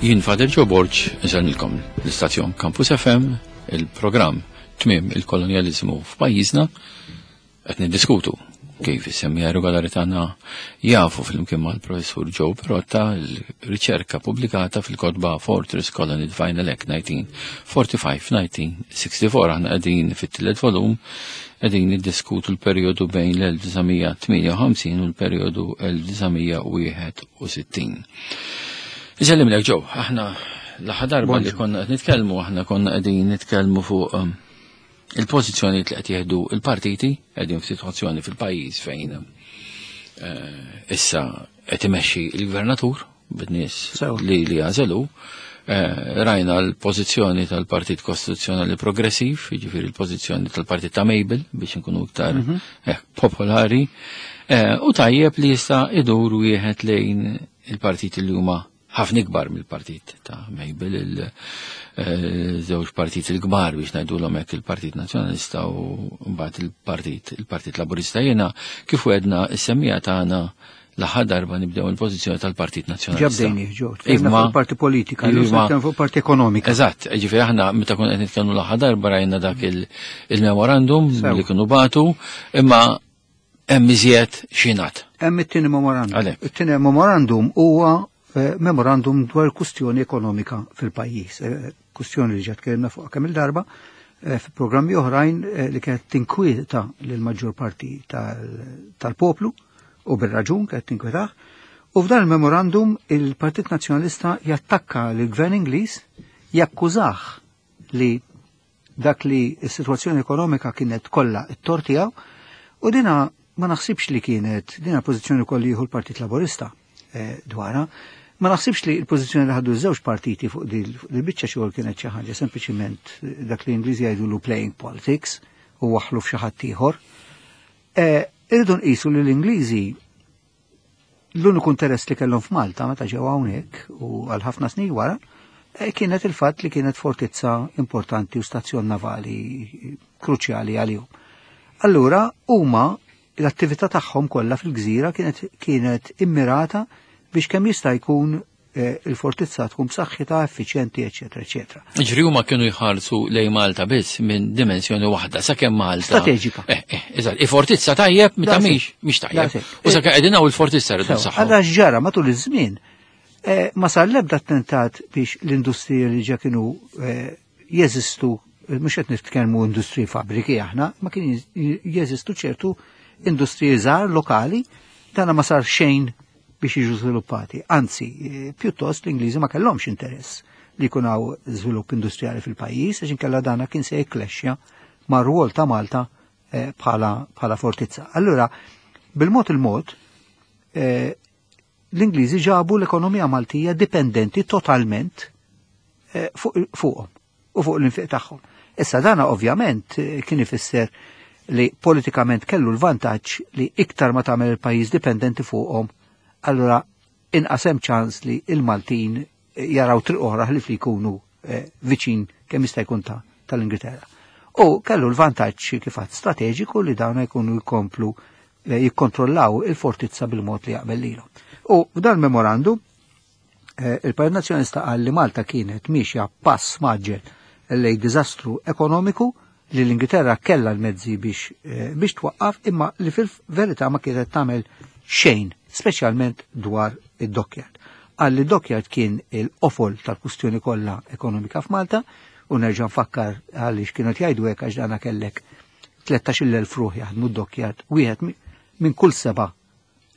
Jien Fader Joe Borg, insellmilkom l-istazzjon Campus FM, il-programm Tmiem il-Kolonjaliżmu f'pajjiżna, qed niddiskutu kif is-semmija regolari tagħna jafu flimkien mal-Professur Joe Perotta l-riċerka pubblikata fil-kotba Fortress Colony Divine Elect 1945-1964. Aħna qegħdin fit-tielet volum, qegħdin niddiskutu l-perjodu bejn l-1958 u l-perjodu 1961. Isellimlek Joe, aħna l-aħħar darba li konna qed nitkellmu, aħna konna qegħdin nitkellmu fuq il-pożizzjonijiet li qed jieħdu l-partiti, qegħdin f'sitwazzjoni fil-pajjiż fejn issa qed imexxi l-gvernatur bid-nies li li għażelu. Rajna l-pożizzjoni tal-Partit Kostituzzjonali Progressiv, jiġifieri l-pożizzjoni tal-Partit ta' Mabel biex inkunu iktar popolari, u tajjeb li jista' idur wieħed lejn il-partiti li huma ħafna ikbar mill-partit ta' Mabel, il-żewġ partiti l-kbar biex ngħidulhom hekk, il-Partit Nazzjonalista u mbagħad il-Partit Laburista. Jiena kif wedna is-semmija tagħna l-aħħar darba nibdew il-pożizzjoni tal-Partit Nazzjonalista. Ġabdejni, ġew, tkellimna fuq parti politika, nitkellmu fuq parti ekonomika. Eżatt, ġifieri aħna meta konna qed nitkellmu l-aħħar darba rajna dak il-memorandum li kienu batu, imma hemm iżjed xinat. Hemm it-tieni memorandum. Għalhekk. It-tieni memorandum huwa memorandum dwar kustjoni ekonomika fil-pajjiż, kustjoni li ġa tkellimna fuq kemm il-darba fi programmi oħrajn li kienet tinkwieta lil maġġor parti tal-poplu u bir-raġun kienet tinkwetah. U f'dan il-memorandum il-Partit Nazzjonalista jattakka lill-Gvern Ingliż, jakkużah li dak li s-sitwazzjoni ekonomika kienet kollha t-tort tiegħu, u dina ma naħsibx li kienet dina pożizzjoni kolli jieħu l-Partit Laburista dwarha. Ma naħsibx li l-pożizzjoni li ħadu ż-żewġ partiti fuq dil biċċa xogħol kienet xi ħaġa sempliċiment dak li Ingliżi jgħidulu playing politics u waħlu f'xi ħadd ieħor. Irridu nqisu li l-Ingliżi l-uniku interess li kellhom f'Malta meta ġew hawnhekk u għal ħafna snin wara kienet il-fatt li kienet fortizza importanti u stazzjon navali kruċjali għalihom. Allura huma l-attività tagħhom kollha fil-gżira kienet immirata biex kemm jista' jkun il-fortizza tkun b'saħħitha, effiċjenti, eċetera, eċetera. Ġifieri huma kienu jħarsu lejn Malta biss minn dimensjoni waħda, sakemm Malta. Strateġika. Eżatt, il-fortizza tajjeb meta mhix tajjeb. Daqshekk. U sakemm qegħdin hawn il-fortizza rridu Sewa, nsaħħu. Allura x'ġara matul iż-żmien ma sar l-ebda attentat biex l-industriji li ġa kienu jeżistu, mhux qed nitkellmu industriji fabbriki aħna, ma kien jeżistu ċertu industriji żgħar lokali, dana ma sar xejn biex jiġu żviluppati. Anzi, pjuttost l-Ingliżi ma kellhomx interess li jkun hawn żvilupp industrijali fil-pajjiż, għax inkella dana kien se jikklexxja mar-rwol ta' Malta bħala fortizza. Allura, bil-mod il-mod l-Ingliżi ġabu l-ekonomija Maltija dipendenti totalment fuqhom u fuq l-infiq tagħhom. Issa dana ovvjament kien ifisser li politikament kellu l-vantaġġ li iktar ma tagħmel il-pajjiż dipendenti fuqhom, allura inqas hemm ċans li il-Maltin jaraw triq oħra ħlief li jkunu viċin kemm jista' jkun tal-Ingilterra. U kellu l-vantaġġ kif għad strateġiku li dawn jkunu jkomplu jikkontrollaw il-fortizza bil-mod li jaqbel lilhom. U f'dan il-memorandum il-Partit Nazzjonalista qal li Malta kienet miexja pass maġġel lejn diżastru ekonomiku li l-Ingilterra kellha l-mezzi biex twaqqaf, imma li fil-verità ma kienet tagħmel xejn, speċjalment dwar id-dockyard. Qal li d-dockyard kien il-qofol tal-kustjoni kollha ekonomika f'Malta, u nerġa' nfakkar għaliex kienu jgħidu hekk għax dana kellek 13,000 ruħ jaħdmu d-dockyard, wieħed minn kull 7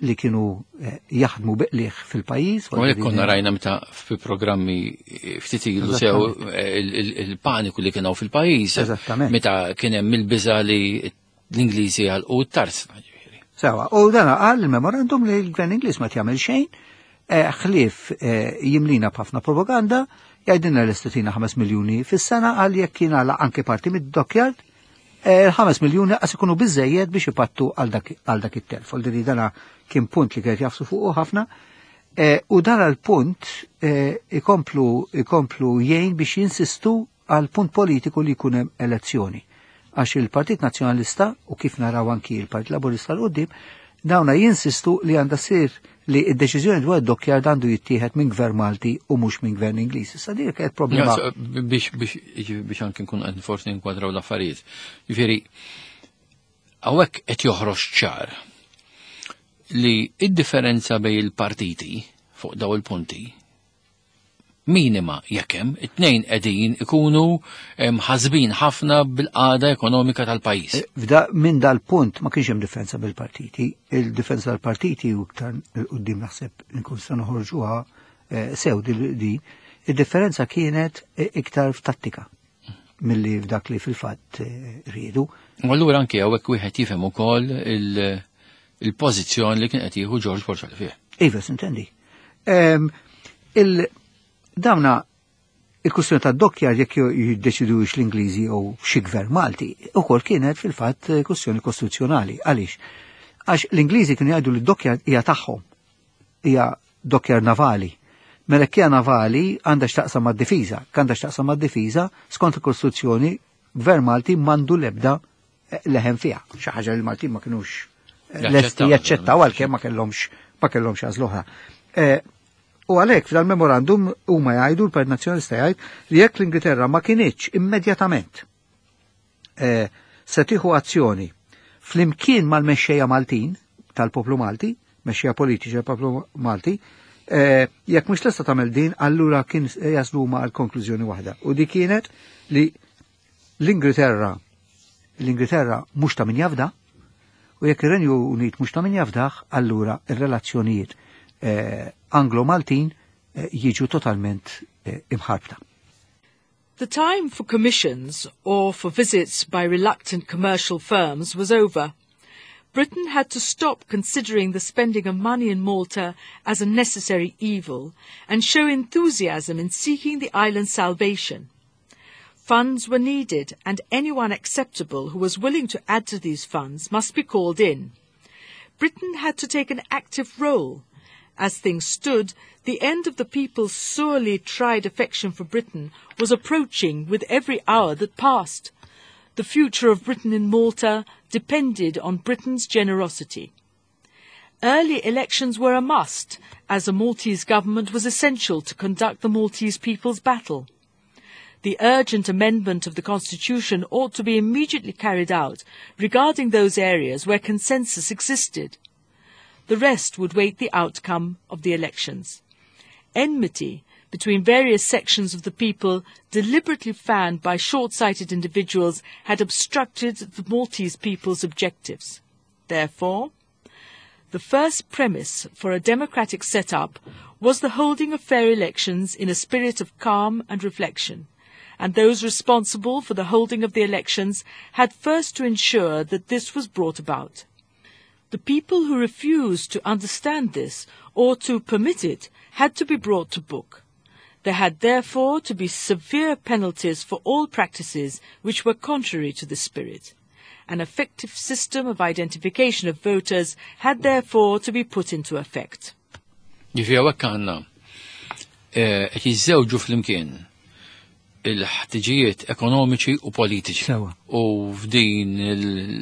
li kienu jaħdmu biqliħ fil-pajjiż. U għalhekk konna rajna meta fi programmi ftit ilu sew il-paniku li kien hawn fil-pajjiż. Meta kien hemm il-biża li l-Ingliżi għalqu t-tarsna, ġifieri. Sewa, u dan qal il-memorandum li l-Gvern Ingliż ma tjagħmel xejn, ħlief jimlina b'ħafna propaganda, jgħidilna li estitina 5 miljuni fis-sena għal jekk kien għala anke parti mid-dockyard, 5 miljuni qas ikunu biżejjed biex ipattu għal dak it-telf. Għal diri dana kien punt li kienet jafsu fuqu ħafna, u dan għal-punt ikomplu jgħin biex jinsistu għal punt politiku li jkun hemm elezzjoni. Għax il-Partit Nazzjonalista, u kif naraw anki il-Partit Laburista l-qudiem, Dawna jinsistu li għandha ssir li id-deċiżjoni dwar id-dockyard għandu jittieħed minn gvern Malti u mhux minn gvern Ingliż. Issa dik kienet problema. Biex biex biex anke nkun qed forsi nkwadraw l-affarijiet. Jiġifieri hawnhekk qed joħroġ ċar li id-differenza bejn il-partiti fuq daw il-punti minima jekk hemm, it-tnejn qegħdin ikunu mħasbin ħafna bil-qagħda ekonomika tal-pajjiż. Eh, f'da minn dal-punt ma kienx hemm differenza bil-partiti. Il-differenza tal-partiti u iktar quddiem naħseb nkun se noħorġuha eh, sew din, id-differenza kienet eh, iktar f'tattika milli f'dak li fil-fatt riedu. U allura anke hawnhekk wieħed jifhem ukoll il-pożizzjoni li kien qed jieħu George Borg fih. Iva, sintendi. Il-dawna il-kustjoni ta' dokkjar jekk jiddeċidux l-Ingliżi jew xi gvern Malti, ukoll kienet fil-fatt kustjoni kostituzzjonali. Għaliex? Għax l-Ingliżi kienu jgħidu li d-dokkjar hija tagħhom, hija dokkjar navali. Mela hija navali għandha x'taqsam mad-difiża, għandha x'taqsam mad-difiża skont il-Kostituzzjoni gvern Malti m'għandu l-ebda eh, leħen fiha. Xi ħaġa li l-Maltin ma kinux eh, lesti jaċċettaw għalkemm ma kellhomx ma kellhomx għażla oħra. Eh, u għalhekk f'dal-memorandum huma jgħidu l-Partit Nazzjonalista jgħid li jekk l-Ingilterra ma kinitx immedjatament se tieħu azzjoni flimkien mal-mexxejja Maltin tal-poplu Malti, mexxejja politiċi tal-poplu Malti, jekk mhux lesta tagħmel din, allura kien jaslu ma għal konklużjoni waħda. U di kienet li l-Ingilterra l-Ingilterra mhux ta' min jafda, u jekk ir-Renju Unit mhux ta' min jafdah, allura ir-relazzjonijiet eh, Anglo-Maltin eh, jiġu totalment eh, imħarbta. The time for commissions or for visits by reluctant commercial firms was over. Britain had to stop considering the spending of money in Malta as a necessary evil and show enthusiasm in seeking the island's salvation. Funds were needed, and anyone acceptable who was willing to add to these funds must be called in. Britain had to take an active role. As things stood, the end of the people's sorely tried affection for Britain was approaching with every hour that passed. The future of Britain in Malta depended on Britain's generosity. Early elections were a must, as a Maltese government was essential to conduct the Maltese people's battle. The urgent amendment of the Constitution ought to be immediately carried out regarding those areas where consensus existed. The rest would wait the outcome of the elections. Enmity between various sections of the people, deliberately fanned by short-sighted individuals, had obstructed the Maltese people's objectives. Therefore, the first premise for a democratic setup was the holding of fair elections in a spirit of calm and reflection, and those responsible for the holding of the elections had first to ensure that this was brought about. The people who refused to understand this or to permit it had to be brought to book. There had therefore to be severe penalties for all practices which were contrary to the spirit. An effective system of identification of voters had therefore to be put into effect. Ġifieri hawnhekk għandna eh, qed jiżżewġu flimkien il-ħtiġijiet ekonomiċi u politiċi. Sewa. U f'din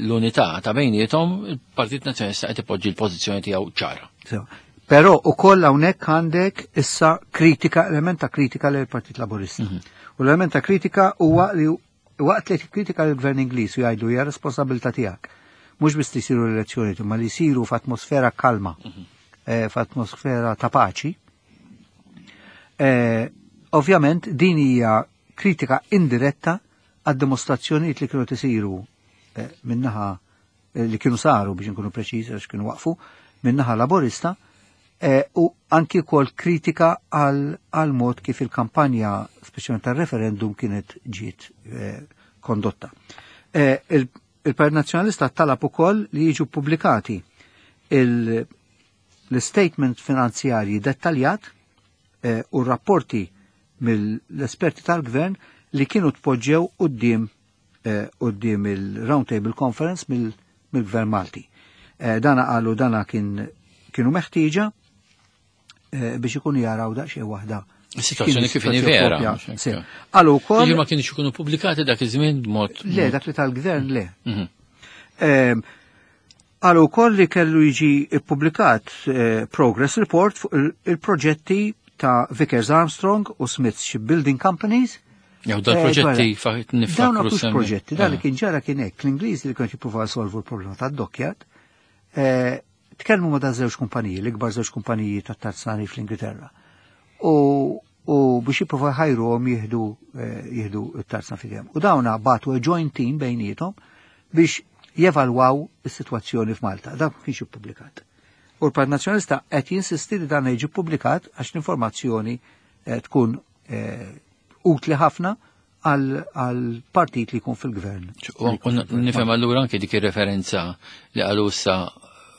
l-unità ta' bejniethom il-Partit Nazzjonalista qed ipoġġi l-pożizzjoni tiegħu ċara. Sewa. Però ukoll hawnhekk għandek issa kritika, element ta' kritika lil Partit Laburista. U l-element ta' kritika huwa li waqt li kritika l-Gvern Ingliż u jgħidu hija responsabilità tiegħek. Mhux biss li jsiru l-elezzjoni, imma li jsiru f'atmosfera kalma, eh, f'atmosfera ta' paċi. Eh, ovvjament din hija kritika indiretta għad dimostrazzjonijiet li kienu tisiru eh, minnaħa eh, li kienu saru biex nkunu preċiżi għax kienu waqfu minnaħa laborista eh, u anki kol kritika għal mod kif il-kampanja speċjalment tar-referendum kienet ġiet kondotta. Il-Partit Nazzjonalista talab ukoll li jiġu pubblikati l-statement finanzjarji dettaljat u rapporti mill-esperti tal-gvern li kienu tpoġġew quddiem quddiem il-Round Table Conference mill-Gvern Malti. Dana qalu dana kien kienu meħtieġa biex ikunu jaraw daqsxejn waħda. Is-sitwazzjoni kif inhi vera. Qalu wkoll. Jiġifieri ma kienx ikunu pubblikati dak iż-żmien b'mod. Le, dak li tal-gvern le. Qalu wkoll li kellu jiġi ppubblikat progress report fuq il-proġetti ta' Vickers Armstrong u Smiths Shipbuilding Companies. Jew dal-proġetti niftakru. Dawn mhux proġetti, dan li kien ġara kien hekk, l-Ingliżi li kienu jippruvaw jsolvu l-problema tad-dockyard, tkellmu ma' żewġ kumpaniji, l-ikbar żewġ kumpaniji tat-tarzani fl-Ingilterra. U biex jippruvaw jħajruhom jieħdu t-tarzna f'idejhom. U dawna bagħtu joint team bejniethom biex jevalwaw is-sitwazzjoni f'Malta. Dan ma kienx ippubblikat. U l-Partit Nazzjonalista qed jinsisti li dan jiġi ppubblikat għax l-informazzjoni tkun utli ħafna għal partit li jkun fil-gvern. U nifhem allura anke dik ir-referenza li qalu issa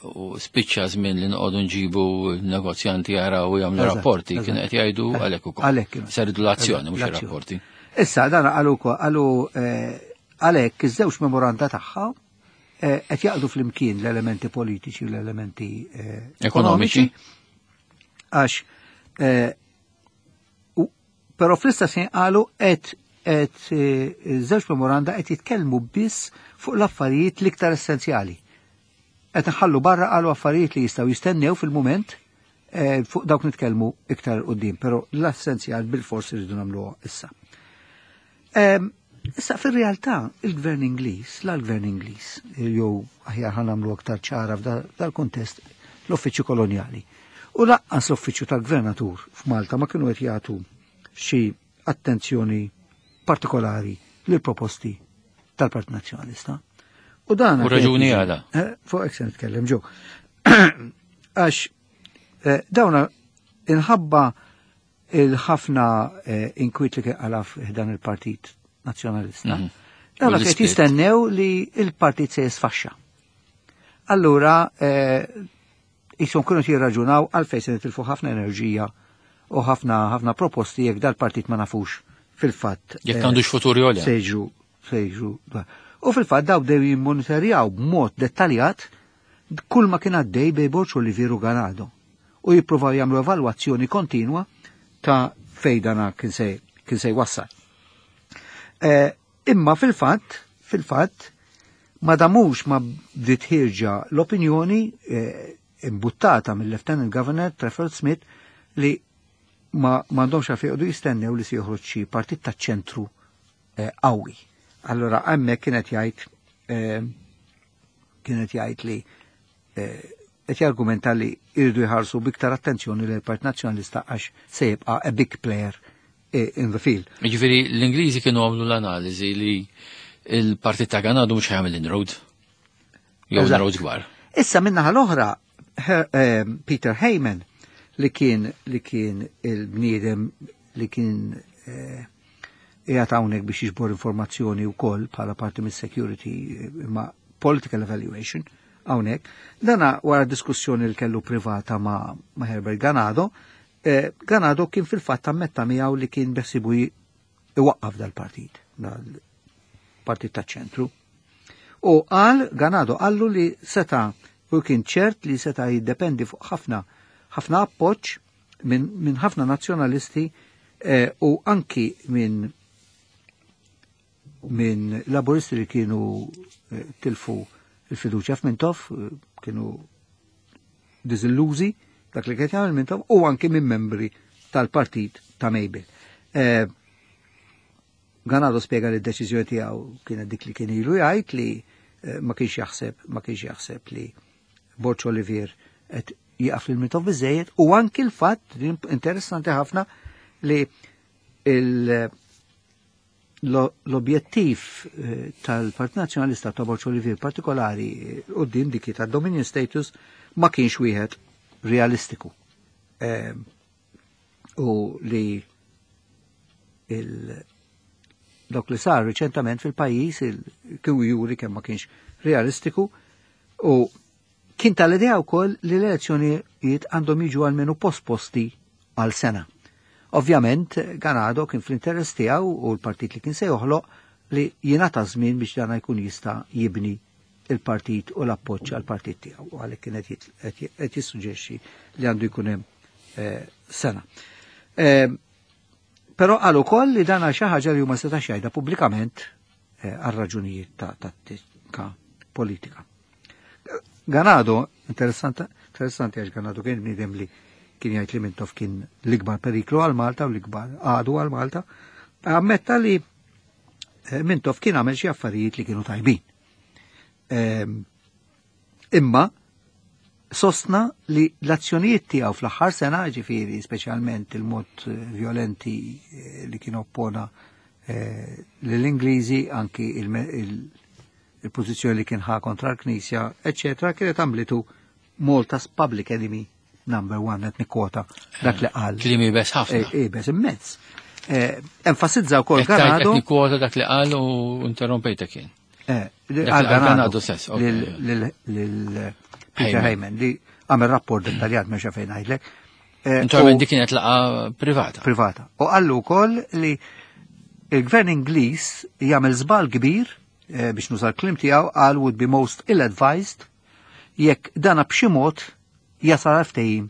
u spiċċa żmien li noqogħdu nġibu negozjanti jaraw u jagħmlu rapporti, kien qed jgħidu għalhekk ukoll. Għalhekk. Seridu l-azzjoni mhux ir-rapporti. Issa dan qalu qalu għalhekk iż-żewġ memoranda tagħha qed jaqdu flimkien l-elementi politiċi u l-elementi ekonomiċi. Għax però fl-istess ħin qalu qed żewġ memoranda qed jitkellmu biss fuq l-affarijiet l-iktar essenzjali. Qed nħallu barra qalu affarijiet li jistgħu jistennew fil-mument fuq dawk nitkellmu iktar quddiem, però l-essenzjal bil-fors irridu nagħmluha issa. Issa fir-realtà il-Gvern Ingliż, la l-Gvern Ingliż, jew aħjar ħa nagħmlu aktar ċara f'dal-kuntest l-Uffiċċju Kolonjali. U lanqas l-Uffiċċju tal-Gvernatur f'Malta ma kienu qed jagħtu xi attenzjoni partikolari lil proposti tal-Partit Nazzjonalista. U dan U raġuni għala. Fuq hekk se nitkellem ġo. Għax dawna inħabba il-ħafna inkwiet li kien qala f'dan il-Partit Nazzjonalista. Dawna qed jistennew li il-partit se jisfaxxa. Allura jisom kienu jirraġunaw għalfejn se nitilfu ħafna enerġija u ħafna ħafna proposti jekk dal-partit ma nafux fil-fatt. Jekk għandux futur jew le. Sejġu. U fil-fatt daw bdew jimmonitorjaw b'mod dettaljat kull ma kien għaddej bej Borg Olivier u Ganado. U jippruvaw jagħmlu evalwazzjoni kontinwa ta' fejn dana kien se jwassal. Imma fil-fatt, ma damux ma bdiet ħierġa l-opinjoni imbuttata mill-Lieutenant Governor Trafford Smith li ma m'għandhomx għalfejn joqogħdu jistennew li se joħroġ xi partit taċ-ċentru qawwi. Allora hemmhekk kienet jgħid li qed jargumenta li jridu jħarsu biktar attenzjoni lil Partit Nazzjonalista għax se jibqa' a big player in the field. Jiġifieri l-Ingliżi kienu għamlu l-analiżi li il-partit ta' Ganado mhux ħajamel inroad. Jew inroad kbar. Issa minnaħa l-oħra Peter Heyman li kien il-bniedem li kien qiegħed hawnhekk biex jiġbor informazzjoni wkoll bħala parti mis-security ma' political evaluation hawnhekk. Dana wara diskussjoni li kellu privata ma' Herbert Ganado, Ganado kien fil-fatt ammetta miegħu li kien beħsibu iwaqqaf dal-partit, dal-partit taċ-ċentru. U qal Ganado qallu li seta' u kien ċert li seta' jiddependi fuq ħafna ħafna appoġġ minn ħafna nazzjonalisti u anki minn laburisti li kienu tilfu il-fiduċja f'Mintoff, kienu diżillużi dak li kien jagħmel Mintoff, u anki minn membri tal-partit ta' Mabel. Ganado spjega li d-deċiżjoni tiegħu kienet dik li kien ilu jgħid li ma kienx jaħseb li Borg Olivier qed jieqaf lil Mintoff biżejjed, u anki l-fatt interessanti ħafna li l-objettiv tal-Partit Nazzjonalista ta' Borg Olivier partikolari quddiem dik ta' Dominion status ma kienx wieħed realistiku. U li dok li sar riċentament fil-pajjiż il-kienu juri kemm ma kienx realistiku, u kien tal-idea wkoll li l-elezzjonijiet għandhom jiġu għalmenu posposti għal sena. Ovvjament, Ganado kien fl-interess tiegħu u l-partit li kien se joħloq li jingħata żmien biex dana jkun jista' jibni il-partit u l-appoġġ għall-partit tiegħu, u għalhekk kien qed jissuġġerixxi li għandu jkun hemm sena. Però qal ukoll li dana xi ħaġa li huma setax jgħidha pubblikament għal raġunijiet ta' tattika politika. Ganado, interessanti għax Ganado kien bniedem li kien jgħid li Mintoff kien l-ikbar periklu għal Malta u l-ikbar għadu għal Malta, ammetta li Mintoff kien għamel xi affarijiet li kienu tajbin. Imma sostna li l-azzjonijiet tiegħu fl-aħħar sena, ġifieri speċjalment il-mod violenti li kien oppona lill-Ingliżi, anki il-pożizzjoni li kien ħa kontra l-Knisja, eċċetera, kienet għamlitu Malta's public enemy number one, qed nikkwota dak li qal. Kliem iebes ħafna. Iebes immens. Enfasizza wkoll Ganado. Qed nikkwota dak li qal u interrompejtek jien. Għal Ganado stess. Lil Peter Hayman li għamel rapport dettaljat ma fejn ngħidlek. Naturalment dik kienet laqgħa privata. Privata. U qallu wkoll li il-gvern Ingliż jagħmel żball kbir, biex nuża l-kliem tiegħu, qal would be most ill-advised jekk dana b'xi mod jasal għal ftehim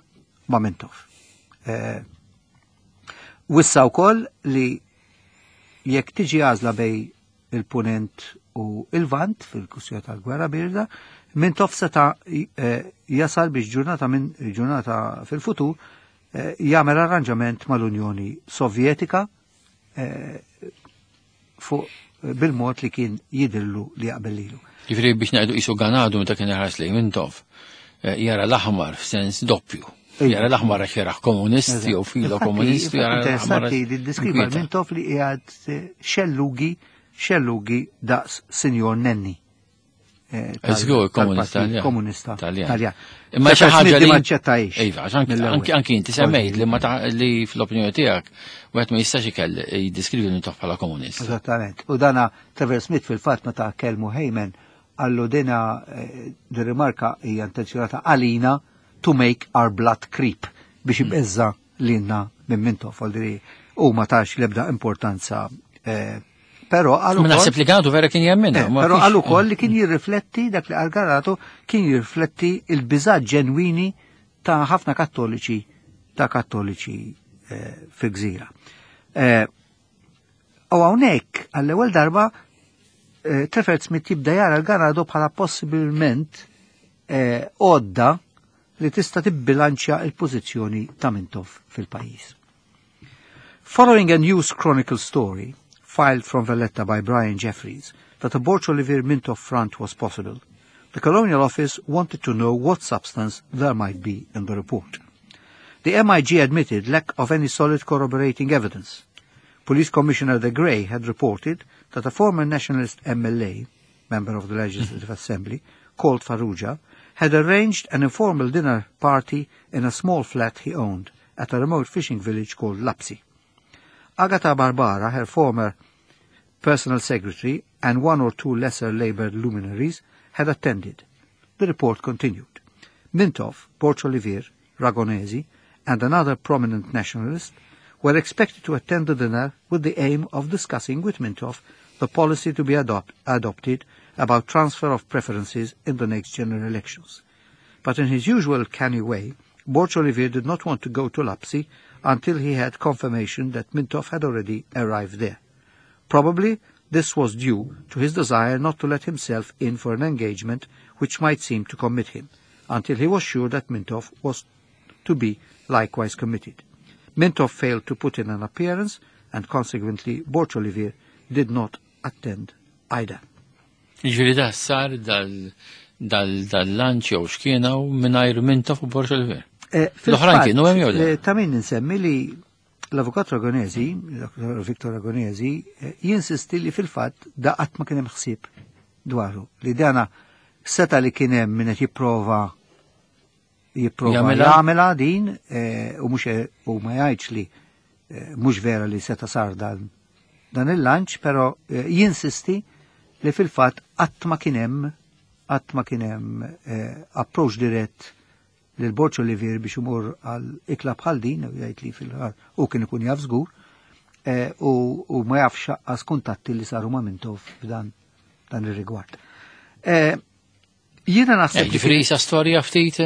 ma' Mintoff. Wissa wkoll li jekk tiġi għażla bej il-punent u il-vant fil-kwistjoni tal-gwerra birda, Mintoff seta' jasal biex ġurnata minn ġurnata fil-futur jagħmel arranġament mal-Unjoni Sovjetika fuq bil-mod li kien jidillu li jaqbel lilu. Ġifieri biex ngħidu qisu Ganado meta kien iħares lejn Mintoff, jara l-aħmar f'sens doppju. Jara l-aħmar għax jaraħ komunist jew filo komunist, jara l-aħmar Interessanti li ddiskriva inkwieta. Mintoff li qiegħed xellugi daqs Sinjor Nenni. Żgur, komunista, Tal-Partit Komunista Taljan. Taljan. Imma xi Trevor ħaġa Smith li ma aċċettajx. Iva, għax mill-ewwel. anki inti semmejt li ma ta' li fl-opinjoni tiegħek wieħed ma jistax ikell jiddiskrivi Mintoff bħala komunist. Eżattament. U dana Trevor Smith fil-fatt meta kellmu Hayman qallu dina di rimarka hija intenzjonata għalina to make our blood creep biex ibeżza lilna minn Mintoff, għal u ma tax l-ebda importanza. Però għal Ma ukoll naħseb li Ganado vera kien jemminha, ma Però kienx għal ukoll li kien jirrifletti dak li qal Ganado, kien jirrifletti il-biża' ġenwini ta' ħafna kattoliċi, ta' kattoliċi fil-gżira. U hawnhekk għall-ewwel darba Trevor Smith jibda jara l-Ganado bħala possibilment għodda li tista' tibbilanċja il-pożizzjoni ta' Mintoff fil-pajjiż. Following a News Chronicle story filed from Valletta by Brian Jeffries that a Borg Olivier Mintoff front was possible, the Colonial Office wanted to know what substance there might be in the report. The MIG admitted lack of any solid corroborating evidence. Police Commissioner de Grey had reported that a former nationalist MLA, member of the Legislative Assembly, called Farrugia, had arranged an informal dinner party in a small flat he owned at a remote fishing village called Lapsi. Agatha Barbara, her former personal secretary, and one or two lesser Labour luminaries had attended. The report continued. Mintoff, Borg Olivier, Ragonesi, and another prominent nationalist were expected to attend the dinner with the aim of discussing with Mintoff the policy to be adopted about transfer of preferences in the next general elections. But in his usual canny way, Borg Olivier did not want to go to Lapsi until he had confirmation that Mintoff had already arrived there. Probably this was due to his desire not to let himself in for an engagement which might seem to commit him, until he was sure that Mintoff was to be likewise committed. Mintoff failed to put in an appearance, and consequently Borg Olivier did not attend either. Ġifieri da sar dal-lunch jew x'kienu mingħajr Mintoff u Borg Olivier. L-oħrajn kienu hemm jew le? Ta' min nsemmi li l-avukat Ragonesi, Dr. Victor Ragonesi, jinsisti li fil-fatt da qatt ma kien hemm ħsieb dwaru. Li dana seta li kien hemm min qed jipprova Jagħmilha? jagħmilha din, u mhux u ma jgħidx li mhux vera li seta sar dan il-lunch, però jinsisti li fil-fatt qatt ma kien hemm, qatt ma kien hemm approach dirett lil Borg Olivier biex imur għal ikla bħal din, u jgħid li fil-ħar u kien ikun jaf żgur, u ma jafx għas kuntatti li saru ma' Mintoff f'dan dan ir-rigward. Jiena naħseb li Ġifieri fil- isa storja ftit,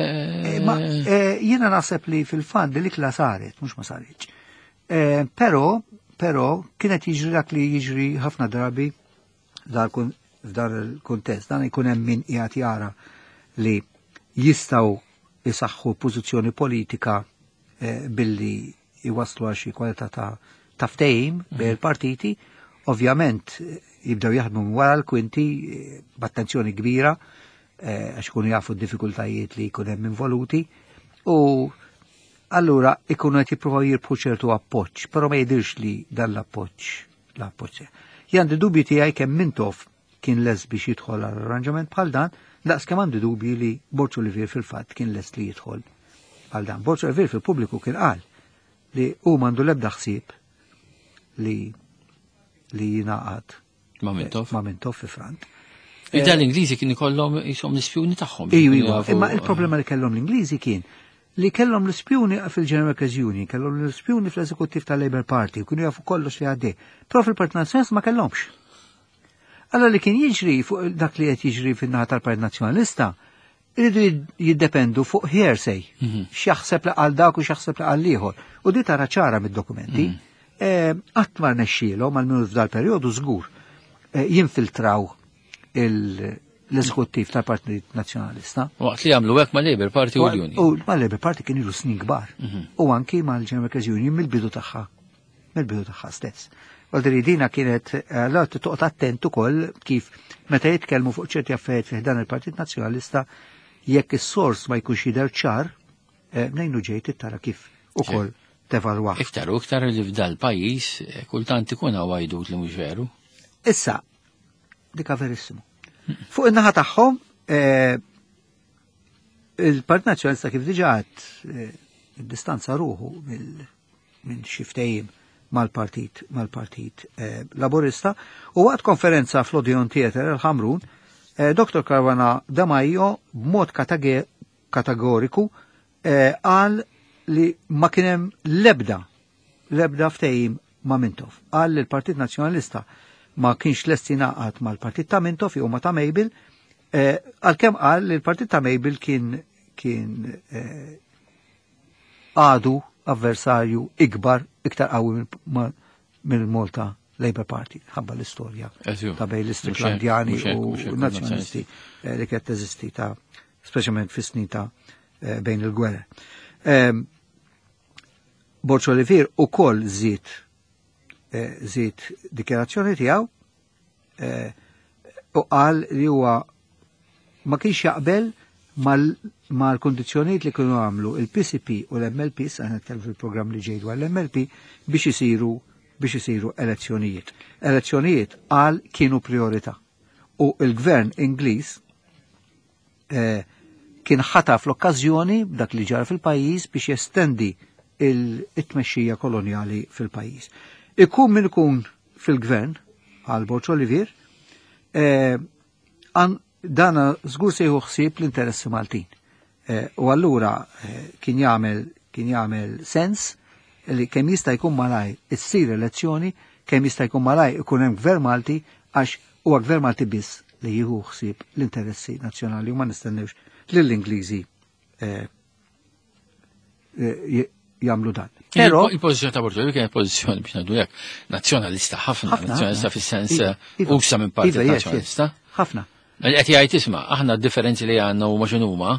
Ma jiena naħseb li fil-fatt li l-ikla saret, mhux ma saritx. Però kienet jiġri dak li jiġri ħafna drabi f'dan il-kuntest, dan ikun hemm min qiegħed jara li Jistgħu jisaħħu pożizzjoni politika billi jwaslu għal xi kwalità ta' ftehim bejn il-partiti, ovvjament jibdew jaħdmu minn wara l-kwinti b'attenzjoni kbira għax ikunu jafu d-diffikultajiet li jkun hemm involuti u allura ikunu qed jippruvaw jirbħu ċertu appoġġ, però ma jidhirx li dan l-appoġġ. Jien għandi dubji tiegħi kemm Mintoff kien lest biex jidħol għal arranġament bħal dan, daqs kemm għandi dubji li Borg Olivier fil-fatt kien lest li jidħol għal dan. Borg Olivier fil-pubbliku kien qal li hu m'għandu l-ebda ħsieb li jingħaqad Ma' Mintoff. Ma' Mintoff fi Front. Ida l-Ingliżi kien ikollhom jisom l-ispjuni tagħhom. Iju, imma il-problema li kellhom l-Ingliżi kien li kellhom l-ispjuni fil-General Workers Union, kellhom l-ispjuni fl-eżekuttiv tal-Labour Party, kienu jafu kollox li għaddej. Però fil-Partit Nazzjonalista ma kellhomx. Allora li kien jiġri fuq dak li qed jiġri fin-naħa tal-Partit Nazzjonalista, iridu jiddependu fuq hearsay, x'jaħseb li qal dak u x'jaħseb li qal ieħor. U di tara ċara mid-dokumenti. Qatt ma rnexxielhom għal f'dal perjodu żgur jinfiltraw l-eżekuttiv tal-Partit Nazzjonalista. Waqt li għamlu hekk ma' Labour Party u l-Union. U ma' Labour Party kien ilu snin kbar. U anki mal-General Workers Union mill-bidu tagħha. Mill-bidu tagħha stess. Għaldri dina kienet, allora toqgħod attent ukoll kif meta jitkellmu fuq ċerti affarijiet fih dan il-Partit Nazzjonalista, jekk is-sors ma jkunx jidher ċar, mnejn ġejt tara kif ukoll tevalwa. Iktar u iktar li f'dal pajjiż kultant ikun hawn għajdut li mhux veru. Issa, dika verissimu. Fuq in-naħa tagħhom, il-Partit Nazzjonalista kif diġà għad distanza ruħu minn xi ftehim mal-Partit Laburista u waqt konferenza fl-Odeon Theatre il-Ħamrun, Dr. Caruana Demajo b'mod kategoriku qal li ma kien hemm l-ebda ftehim ma' Mintoff. Qal li l-Partit Nazzjonalista ma kienx lest jingħaqad mal-Partit ta' Mintoff jew ma' ta' Mabel, għalkemm qal li l-Partit ta' Mabel kien għadu avversarju ikbar, iktar qawwi mill-Malta Labour Party, ħabba l-istorja ta' bejn l-Istriklandjani u nazzjonalisti li kienet teżisti ta' speċjalment fis-snin ta' bejn il-gwerra. Borg Olivier ukoll żied dikjarazzjoni tiegħu u qal li huwa ma kienx jaqbel mal-kondizzjonijiet li kienu għamlu il-PCP u l-MLP, sa nitkellmu fil-programm li ġej dwar l-MLP, biex isiru elezzjonijiet. Elezzjonijiet qal kienu priorità. U il-gvern Ingliż kien ħataf l-okkażjoni b'dak li ġara fil-pajjiż biex jestendi il-tmexxija kolonjali fil-pajjiż. Ikun min ikun fil-gvern għal Borg Olivier, dana żgur se jieħu ħsieb l-interessi Maltin. U allura kien jagħmel sens li kemm jista' jkun malaj issir elezzjoni, kemm jista' jkun malaj ikun hemm gvern Malti, għax huwa gvern Malti biss li jieħu ħsieb l-interessi nazzjonali u ma nistennewx lill-Ingliżi jagħmlu dan. Però il-pożizzjoni ta' Borg Olivier kienet pożizzjoni biex ngħidu hekk nazzjonalista ħafna, nazzjonalista fis-sens usa minn partit nazzjonalista. Ħafna. Qed jgħid isma' aħna d-differenzi li għandna huma x'inhuma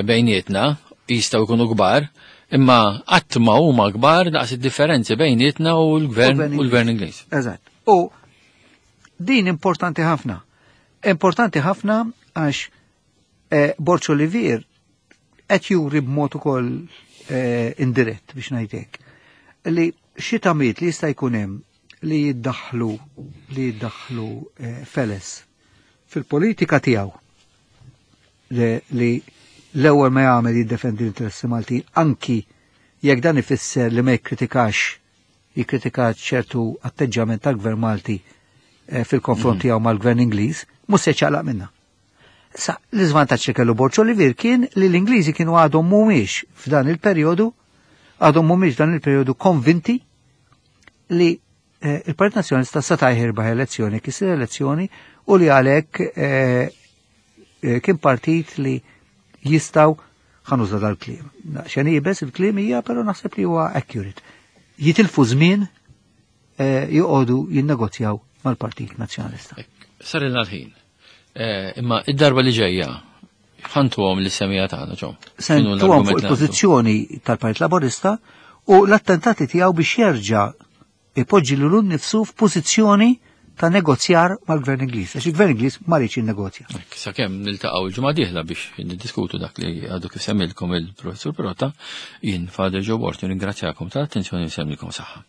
bejnietna jistgħu jkunu kbar, imma qatt ma huma kbar daqs id-differenzi bejnietna u l-gvern Ingliż. Eżatt. U din importanti ħafna. Importanti ħafna għax Borg Olivier qed juri b'mod ukoll indirett biex ngħidlek li xi tamiet li jista' jkun hemm li jiddaħħlu feles fil-politika tiegħu li l-ewwel ma jagħmel jiddefendi l-interessi Maltin anki jekk dan ifisser li ma jikkritika ċertu atteġġjament tal-Gvern Malti fil-konfront tiegħu mal-Gvern Ingliż, mhux se ċaqlaq minnha. Sa l-iżvantaġġ li kellu Borg Olivier kien li l-Ingliżi kienu għadhom mhumiex f'dan il-perjodu, għadhom mhumiex dan il-perjodu konvinti li il-Partit Nazzjonalista seta' jirbaħ elezzjoni, kisir elezzjoni u li għalhekk kien partit li jistgħu ħanuża dal-kliem. Xejn jibes il-kliem hija, però naħseb li huwa accurate. Jitilfu żmien joqogħdu jinnegozjaw mal-Partit Nazzjonalista. Sar il-ħin. Imma id-darba li ġejja Ħantuhom lis-semmiegħa tagħna ġo. Se ntuhom fuq il-pożizzjoni tal-Partit Laburista u l-attentati tiegħu biex jerġa' ipoġġi lilu nnifsu f'pożizzjoni ta' negozjar mal-Gvern Ingliż, għax il-Gvern Ingliż ma riedx jinnegozja. Sakemm niltaqgħu l-ġimgħa dieħla biex niddiskutu dak li għadu kif semmilkom il-Professur Pirotta, jien Father Joe Borg nirringrazzjakom tal-attenzjoni u nsellmilkom saħħa.